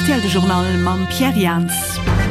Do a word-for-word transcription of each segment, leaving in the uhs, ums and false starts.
R T L de Journal mam Pierre Jans.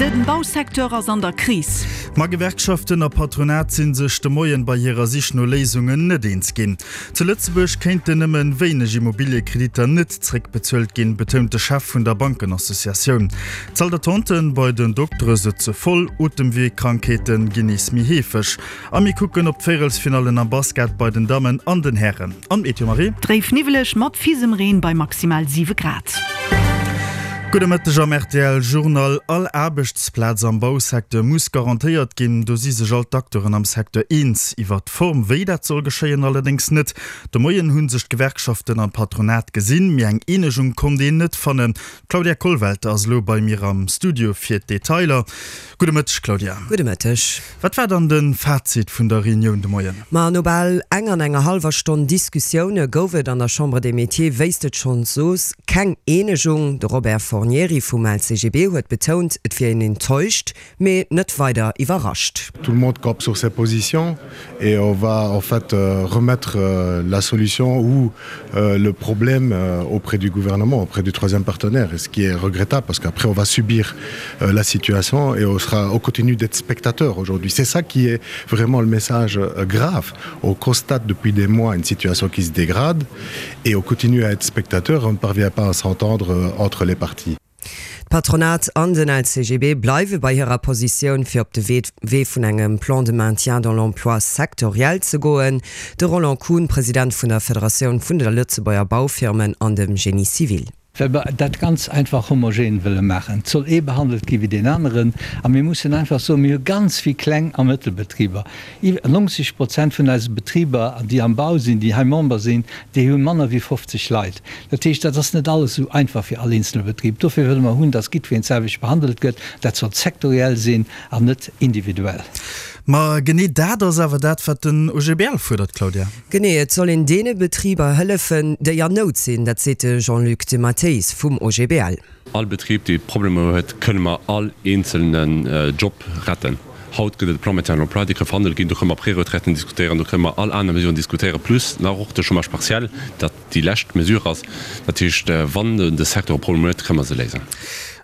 De Bausecteur ass an der Kris. Ma Gewerkschaften a Patronat sinn sech de Moien bei hirer Sich no Léisungen net eens ginn. Zu Lëtzebuerg kéinten nëmme wéineg Immobiliekreditter net zréckbezuelt ginn, betount de Chef vun der Bankenassociatioun. D'Salle-d'attenten bei den Doktere sëtze voll, Otemweekrankheete ginn nees méi heefeg. A mir kucken op d'Véierelsfinallen am Basket bei den Dammen an den Hären. An Meteo Marie? Dréif niwweleg mat Fisemreen bei maximal siwe Grad. Gudde Mëtteg am R T L Journal. All Aarbechtsplaz am Bausecteur muss garantéiert ginn. Do si sech all d'Acteuren am Secteur eens. Iwwer d'Form, wéi dat soll geschéien, allerdéngs net. De Moien hu sech d'Gewerkschaften an d'Patronat gesinn, mee eng Eenegung konnt een net fannen. D'Claudia Kollwelter ass elo bei mir am Studio fir d'Detailer. Gudde Mëtteg, Claudia. Gudde Mëtteg. Wat war dann de Fazit vun der Reunioun de Moien? Ma no bal eng an enger hallwer Stonn Diskussioune gouf et an der Chambre des Métiers, wéi s de et schonn sos, keng Eenegung. De Robert Fornieri vum L C G B huet betount, et wier een enttäuscht, mee net weider iwwerrascht. Tout le monde campe sur ses positions et on va en fait remettre la solution ou le problème auprès du gouvernement, auprès du troisième partenaire, et ce qui est regrettable parce qu'après on va subir la situation et on sera, on continue d'être spectateur aujourd'hui. C'est ça qui est vraiment le message grave. On constate depuis des mois une situation qui se dégrade et on continue à être spectateur et on ne parvient pas à s'entendre entre les parties. D'Patronat an den L C G B bleiwe bei hirer Positioun fir op de Wee vun engem Plan de maintien dans l'emploi sectoriel ze goen. De Roland Kuhn, President vun der Federatioun vun de Lëtzebuerger Baufirmen an dem Génie civil. Well mer dat ganz einfach homogen wëlle maachen. Et soll ee behandelt gi wéi deen aneren. A mir mussen einfach soen, mir hu ganz vill Kleng a Mëttelbetriber. Iwwer neunzeg Prozent vun eise Betriber, déi am Bau sinn, déi hei Member sinn, déi hu manner wéi fofzeg Leit. Dat heescht, dat ass net alles esou einfach fir all eenzele Betrib. Dofir wëlle mer hunn, dass jiddwereen d'selwecht behandelt gëtt. Dat soll sektoriell sinn an net individuell. Ma genee dat ass awer dat, wat den O G B L fuerdert, Claudia. Genee, et soll een deene Betriber hëllefen, déi an Nout sinn, dat seet de Jean-Luc de Matteis vum O G B L. All Betrib, dee Problemer huet, kënne mer all eenzelnen Job retten. Haut gëtt et e Plan maintien de l'emploi, dee ka verhandelt ginn, do kënne mer Préretraiten diskutéieren, do kënne mer all aner Mesuren diskutéieren, plus nach och de Chômage partiel, dat déi lescht Mesure ass. Dat heescht, wann de Secteur e Problem huet, kënne mer se léisen.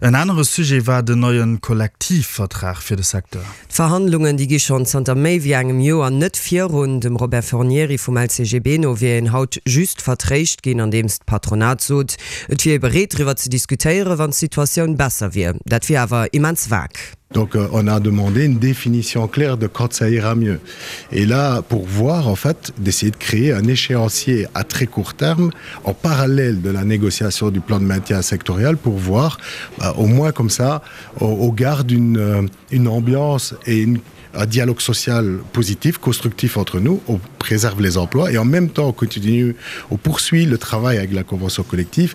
En anere Sujet war den neie Kollektivvertrag fir de Secteur. D'Verhandlungen, déi gi schonn zanter méi wéi engem Joer net virun. Dem Robert Fornieri vum L C G B no wier een haut just vertréischt ginn, andeems d'Patronat sot, et wier ee bereet driwwer ze diskutéieren, wann d'Situatioun besser wier. Dat wier awer immens vag. Donc euh, on a demandé une définition claire de quand ça ira mieux. Et là, pour voir, en fait, d'essayer de créer un échéancier à très court terme, en parallèle de la négociation du plan de maintien sectoriel, pour voir, bah, au moins comme ça, au, au garde une, euh, une ambiance et une, un dialogue social positif, constructif entre nous, on préserve les emplois et en même temps on continue, on poursuit le travail avec la convention collective.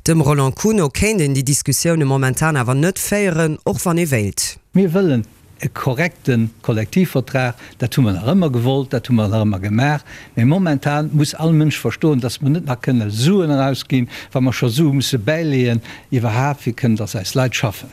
Dem Roland Kuhn no kéint een déi Diskussioune momentan awer net féieren, och wann ee wéilt. Mir wëllen e korrekte Kollektivvertrag, dat hu mer nach ëmmer gewollt, dat hu mer nach ëmmer gemaach. Mee momentan muss all Mënsch verstoen, dass mer net nach kënne Suen erausginn, wa mer scho Sue musse bäileeën, iwwerhaapt fir kënnen, dass eis Leit schaffen.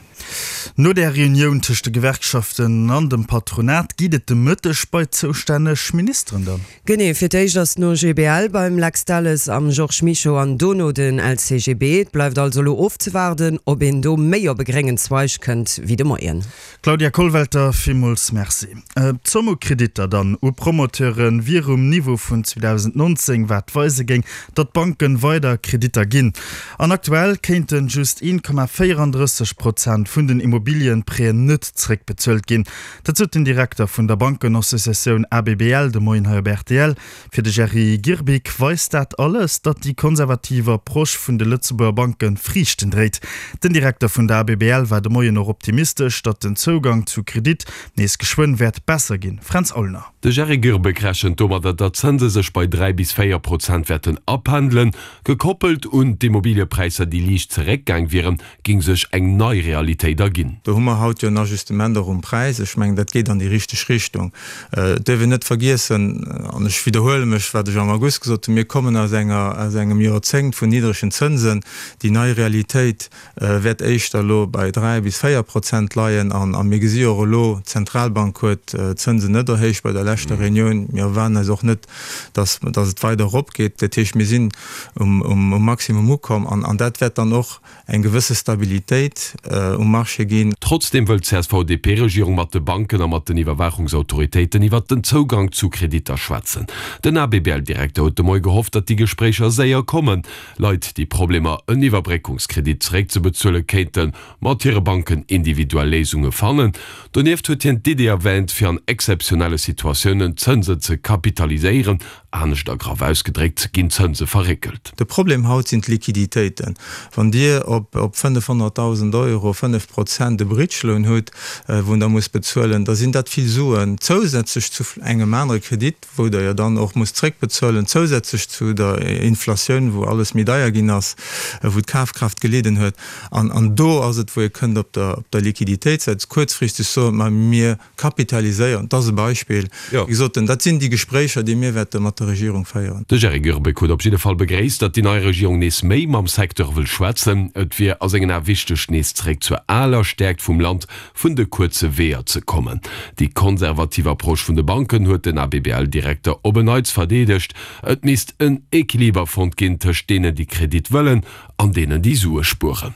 No der Reunioun tëscht de Gewerkschaften an dem Patronat geet et de Mëtteg bei d'zoustänneg Ministeren dann. Genee, fir d'éischt ass den O G B L beim Lex Delles am Georges Mischo an dono den L C G B. Et bleift also elo ofzewaarden, ob een do méi op e gréngen Zweig kënnt wéi de Moien. Claudia Kollwelter, villmools Merci. D'Zomm u Kreditter dann u Promoteure wier um Niveau vun zweedausendnonzéng, wat weise géing, datt d'Banken weider Kreditter ginn. An aktuell kéinte just een Komma véierandrësseg Prozent vun den Immobiliëprêten net zréckbezuelt ginn. Dat sot den Direkter vun der Bankenassociatioun A B B L de Moien hei op R T L. Fir de Jerry Girbig weist dat alles, datt déi konservativ Approche vun de Lëtzebuerger Banke Friichten dréit. Den Direkter vun der A B B L war de Moien och optimistesch, datt den Zougang zu Kredit nees geschwënn wäert besser ginn. Fränz Aulner. De Jerry Girbig rechent domadder, datt d'Zënse sech bei dräi bis véier Prozent wäerten apendelen. Gekoppelt un d'Immobiliëpräisser, déi liicht zeréckgaang wieren, géing sech eng nei Realitéit Stabilitéit erginn. Do hu mer haut jo en Ajustement och um Präis. Ech mengen, dat geet an déi richteg Richtung. Et dierf een net vergiessen, an ech widderhuele mech, wat ech am August gesot hunn, Mir kommen aus enger, aus engem Joerzéngt vun niddregen Zënsen. Déi nei Realitéit wäert éischter elo bei dräi bis véier Prozent leien. A mir gesi jo och elo, d'Zentralbank huet d'Zënsen net erhéicht bei der leschter Reunioun. Mir erwaarden eis och net, dass et weider eropgeet. Dat heescht, mir sinn um Maximum ukomm an dat wäert dann och eng gewësse Stabilitéit um Marché ginn. Trotzdeem wëll d'CSV-DP-Regierung mat de Banken a mat den Iwwerwaachungsautoritéiten iwwert den Zougang zu Kreditter schwätzen. Den A B B L-Direkter huet de Moie gehofft, datt déi Gespréicher séier kommen. Leit, déi Problemer en Iwwerbréckungskredit zeréckzebezuelen, kéinte mat hire Banken individuell Léisunge fannen. Donieft huet hien d'Idee erwäänt, fir an exzeptionelle Situatiounen d'Zënsen ze kapitaliséieren. Anescht a graff ausgedréckt, ginn d'Zënse verréckelt. De Problem haut sinn d'Liquiditéiten. Wann Dir op fënnefhonnertdausend Euro fënnef Prozent e Bridge Loan hutt, wou Der musst bezuelen, da sinn dat vill Suen zousätzlech zu engem anere Kredit, wou Der jo dann och musst zréckbezuelen, zousätzlech zu der Inflatioun, wou alles méi deier ginn ass, wou d'Kafkraaft gelidden huet. An do ass et, wou ee kënnt op der Liquiditéitssäit kuerzfristeg soen, ma mir kapitaliséieren, dat ass e Beispill, wéi gesot, dat sinn déi Gespréicher, déi mir wäerte mat der Regierung féieren. De Jerry Goerbeck huet op jidde Fall begréisst, datt déi nei Regierung nees méi mam Secteur wëll schwätzen. Et wier a sengen Ae wichteg, nees zeréck zur aler Stäerkt vum Land vun de kuerze Weeër ze kommen. Déi konservativ Approche vun de Banken huet den A B B L-Direkter op en Neits verdeedegt. Et misst en Equiliber fonnt ginn tëscht deenen, déi Kredit wëllen, an deenen, déi Sue spueren.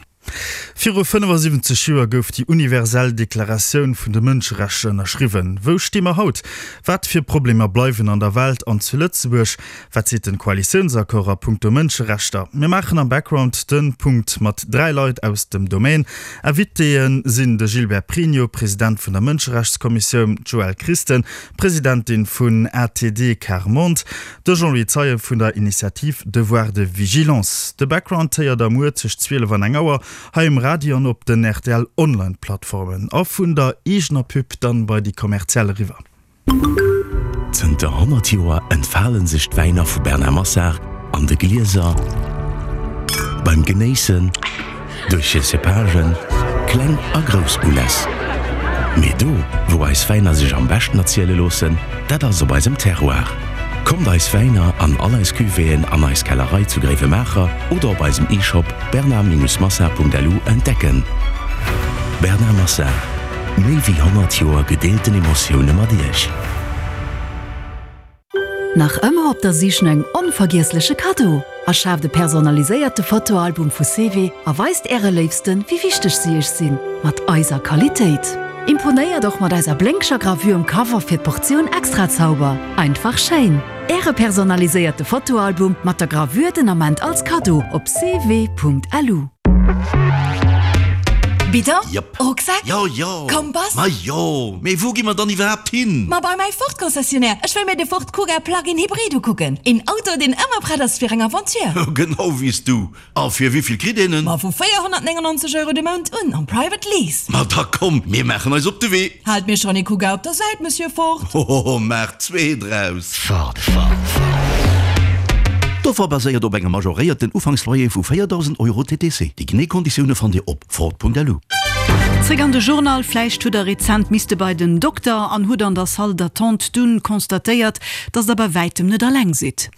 Viru fënnefasiwwenzeg Joer gouf déi universell Deklaratioun vun de Mënscherechter ënnerschriwwen. Wou sti mer haut? Wat fir Problemer bleiwen an der Welt an zu Lëtzebuerg? Wat seet den Koalitiounsaccord a punkto Mënscherechter? Mir maachen am Background de Punkt mat dräi Leit aus dem Domaine. Invitéeë sinn de Gilbert Pregno, President vun der Mënscherechtskommissioun, d'Joëlle Christen, Presidentin vun A T D Quart Monde, de Jean-Louis Zeien vun der Initiative Devoir de Vigilance. De Background héiert der muer tëscht zwielef an eng Auer hei um Radio an op den R T L Online-Plattformen a vun der eegener Pub dann bei déi kommerziell eriwwer. Zënter honnert Joer entfale sech d'Wäiner vu Bernard Massard an de Glieser, beim Genéissen, duerch hir Cépagen, kleng a grouss Uläss. Mee do, wou eis Wäiner sech am beschten erziele loossen, dat ass op eisem Terroir. Kommt eis Wäiner an all eis Cuvéeën an eis Kellerei zu Gréiwemaacher oder op eisem E-Shop bernard-massard Punkt L U entdecken. Bernard Massard, méi wéi honnert Joer gedeelten Emotioune mat Iech. Nach ëmmer op der Sich no engem onvergiessleche Kaddo? Erschaaft e personaliséierte Fotoalbum vu C W a weist Äre Léifsten, wéi wichteg si Iech sinn, mat eiser Qualitéit. Imponéiert och mat eiser blénkeger Gravure um Cover fir d'Portioun Extrazauber. Einfach schéin. Äre personaliséierte Fotoalbum mat der Gravure den Ament als Kaddo op C W Punkt L U. Bidon? Yep. Rucksak? Jo, jo. Kompass? Ma jo. Mee wou gi mer dann iwwerhaapt hin? Ma bei mäi Ford-Concessionnaire. Ech wëll mir de Ford Kuga Plug-in Hybrid ukucken. Een Auto, deen ëmmer prett ass fir eng Aventure. Genau wéi s du. A fir wéi vill kritt een en? Ma vu véierhonnertnéngennonzeg Euro de Mount un, am Private Lease. Ma da komm, mir maachen eis op de Wee. Haalt mir schonn ee Kuga op der Säit, Monsieur Ford. Hohoho, maach zwee draus. Ford, Ford, Ford. D'Offer baséiert op engem majoréierten Ufanksloyer vu véierdausend Euro T T C. Déi genee Konditioune fannt Dir op Ford Punkt L U. Zréck an de Journal. Vläicht hutt der rezent misste bei den Dokter an hutt an der Salle d'attente dunn constatéiert, dass der bei wäitem net alleng sidd.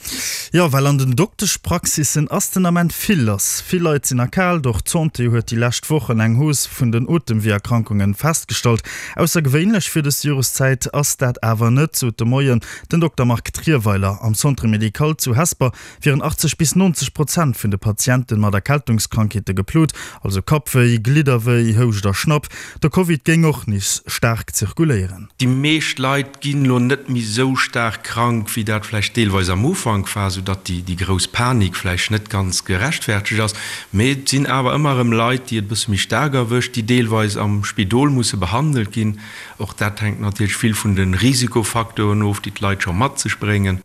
Jo, well an den Dokteschpraxissen ass den Ament vill lass. Vill Leit sinn erkaalt. Och d'Santé huet déi lescht Wochen eng Hausse vun den Otemweeërkrankunge festgestallt. Aussergewéinlech fir dës Joreszäit ass dat awer net, sot de Moien den Dokter Marc Trierweiler. Am Centre médical zu Hesper wieren achtzeg bis neunzeg Prozent vun de Patiente mat Erkältungskrankheete geplot, also Kappwéi, Glidderwéi, Houscht a Schnapp. De Covid géing och nees staark zirkuléieren. Déi meescht Leit ginn elo net méi esou staark krank, wéi dat vläicht deelweis am Ufank war, soudatt déi grouss Panik vläicht net ganz gerechtfertegt ass. Mee et sinn awer ëmmer erëm Leit, déi et e bësse méi staark erwëscht, déi deelweis am Spidol musse behandelt ginn. Och dat hänkt natierlech vill vun de Risikofacteuren of, déi d'Leit scho mat sech bréngen.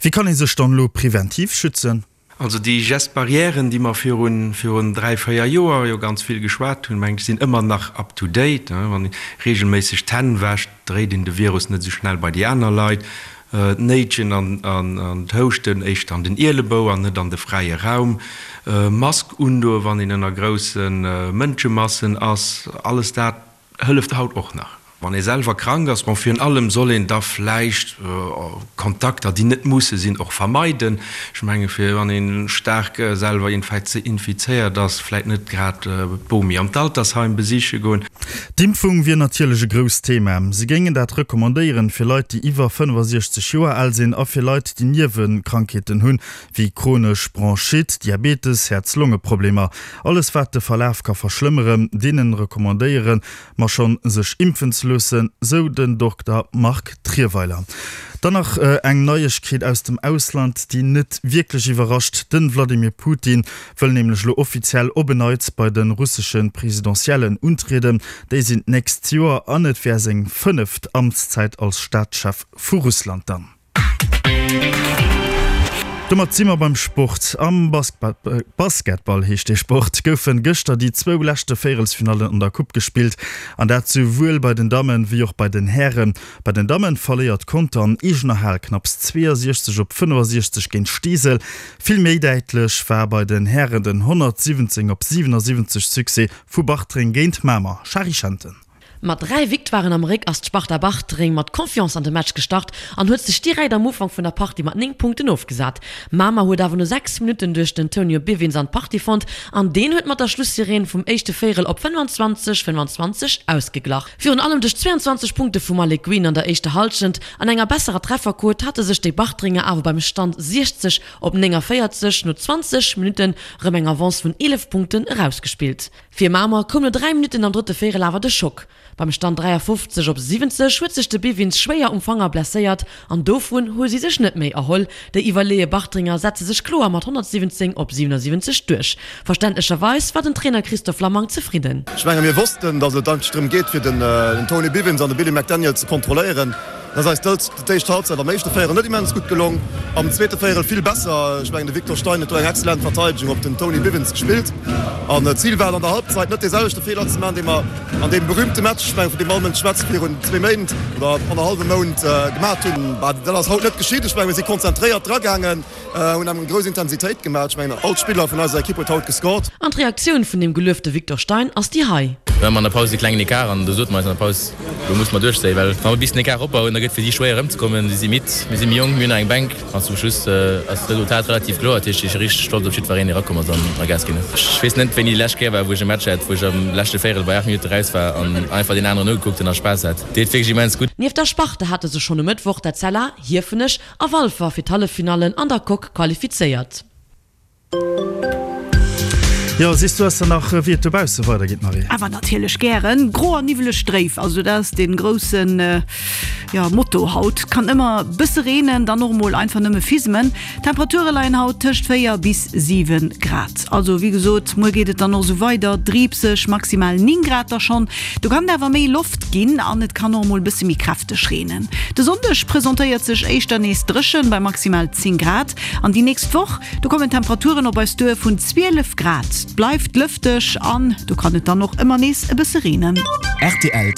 Wéi kann ee sech dann elo preventiv schützen? Also déi Gestes barrièren, déi mer virun, virun dräi, véier Joer jo ganz vill geschwat hunn, mengen ech, sinn ëmmer nach up to date. Wann ee regelméisseg d'Hänn wäscht, dréit een de Virus net esou schnell bei déi aner Leit. D'Néitschen an d'Houschten éischter an den Ielebou an net an de fräie Raum, Mask undoen, wann een ënner grousse Mënschemassen ass, alles dat hëlleft haut och nach. Wann ee selwer krank ass, bon, virun allem soll een da vläicht Kontakter, déi net musse sinn, och vermeiden. Ech menge fir wann ee staark selwer infizéiert ass, vläicht net grad d'Bomi an d'Altersheim besiche goen. D'Impfung wier natierlech e grousst Thema. Si géingen dat recommandéieren fir Leit, déi iwwer fënnefasiechzeg Joer al sinn a fir Leit, déi Niewekrankheeten hunn, wéi chronesch Bronchite, Diabetes, Häerz-Longe-Problemer. Alles wat de Verlaf ka verschlëmmeren, deenen recommandéiere mer schonn, sech impfen ze loossen, sou den Dokter Marc Trierweiler. Dann nach eng Neiegkeet aus dem Ausland, déi net wierklech iwwerrascht, De Wladimir Putin wëll nämlech elo offiziell op en Neits bei de russesche Presidentiellen untrieden. Déi sinn d'nächst Joer an et wär seng fënneft Amtszäit als Staatschef vu Russland dann. Domat si mer beim Sport. Am Basketball, heescht dee Sport, goufen gëschter déi zwou leschte Véierelsfinallen an der Coupe gespillt. An dat souwuel bei den Dammen wéi och bei den Hären. Bei den Dammen verléiert Conter an eegener Hal knapps zweeësiechzeg op fënnefasiechzeg géint Steesel. Vill méi däitlech war bei den Hären den honnertsiwwenzéng op siwenasiwwenzeg Succès vu Bartreng géint Mamer. Shari Schenten. Mat dräi Victoiren am Réck ass d'Sparta Bartreng mat Confiance an de Match gestart an huet sech direkt am Ufank vun der Partie mat néng Punkten ofgesat. Mamer huet awer no sechs Minutten duerch den Tonio Bivins an d'Partie fonnt an deen huet mat der Schlussireen vum éischte Véierel op fënnefanzwanzeg, fënnefanzwanzeg ausgeglach. Virun allem duerch zweeanzwanzeg Punkte vum Malik Green an der éischter Hallschent an enger besserer Trefferquot hate sech déi Bartrenger awer beim Stand siechzeg op néngavéierzeg no zwanzeg Minutten rëm eng Avance vun eelef Punkten erausgespillt. Fir Mamer koum no dräi Minutten am drëtte Véierel awer de Schock. Beim Stand dräiafofzeg op siwwenzeg huet sech de Bivins schwéier um Fanger blesséiert an dovun hu si sech net méi erholl. Déi iwwerleeë Bartrenger setze sech kloer mat honnertsiwwenzéng op siwenasiwwenzeg duerch. Verständlecherweis war den Trainer Christophe Lamang zefridden. Ech menge mir wossten, datt et eigentlech drëm geet fir den Tony Bivins an de Billy McDaniel ze kontrolléieren. Dat ass eis d'éischt Halbzeit am éischte Véierel net immens gutt gelong, am zweete Véierel vill besser. Ech mengen de Victor Stein huet do eng excellent Verteidegung op den Tony Bivins gespillt an d'Zil war et an der Halbzeit net dee selwechte Feeler ze maachen, dee mer an deem berühmte Match, ech mengen vun deem all Mënsch schwätzt, virun zwee Méint oder annerhallwem Mount gemaat hunn. Bah, dat ass haut net geschitt. Ech mengen mir si konzentréiert dragaangen, hunn eng grouss Intensitéit gemaat. Ech mengen all Spiller vun eiser Ekipp huet haut gescored. An d'Reaktioun vun dem geluefte Victor Stein ass déi hei. Mir haben an der Paus e klengen Ecart an do sote mer eis an der Paus, lo musse mer duerchzéien, well wa mer bis den Ecart opbauen, da gëtt fir si schwéier erëmzekommen. Si si midd, mir si méi jonk, mir hunn nach eng Bänk an zum Schluss ass d'Resultat relativ kloer. Dat heescht, ech si richteg stolz op jiddwereen, dee erakomm ass an a Gas ginn huet. Ech weess net, wéini déi lescht Kéier war, wou ech e Match hat, wou ech am leschte Véierel bei aacht Minutte raus war an einfach deen aneren ugekuckt hunn a Spaass hat. Deet wierklech immens gutt. Nieft der Sparta hate sech schonn um Mëttwoch d'Etzella, Hiefenech a Walfer fir d'Halleffinallen an der Coque qualifizéiert. Jo, sees du eis dann nach, wéi et dobausse weidergeet, Marie? Awer natierlech gären. Gro an niwweleg dréif, also dat ass dee groussen, jo, Motto haut. Kann ëmmer bësse reenen, dann och mol einfach nëmme fismen. D'Temperature leien haut tëscht véier bis siwe Grad. Also wéi gesot, muer geet et dann och esou weider, driibseg, maximal néng Grad da schonn. Do kann et awer méi Loft ginn an et kann och mol bësse méi kräfteg reenen. De Sonndeg presentéiert sech éischter nees dréchen bei maximal zéng Grad an déi nächst Woch, do kommen Temperaturen op eis duer vun zwielef Grad. Et bleift lëfteg an do kann et dann och ëmmer nees e bësse reenen. Rtl.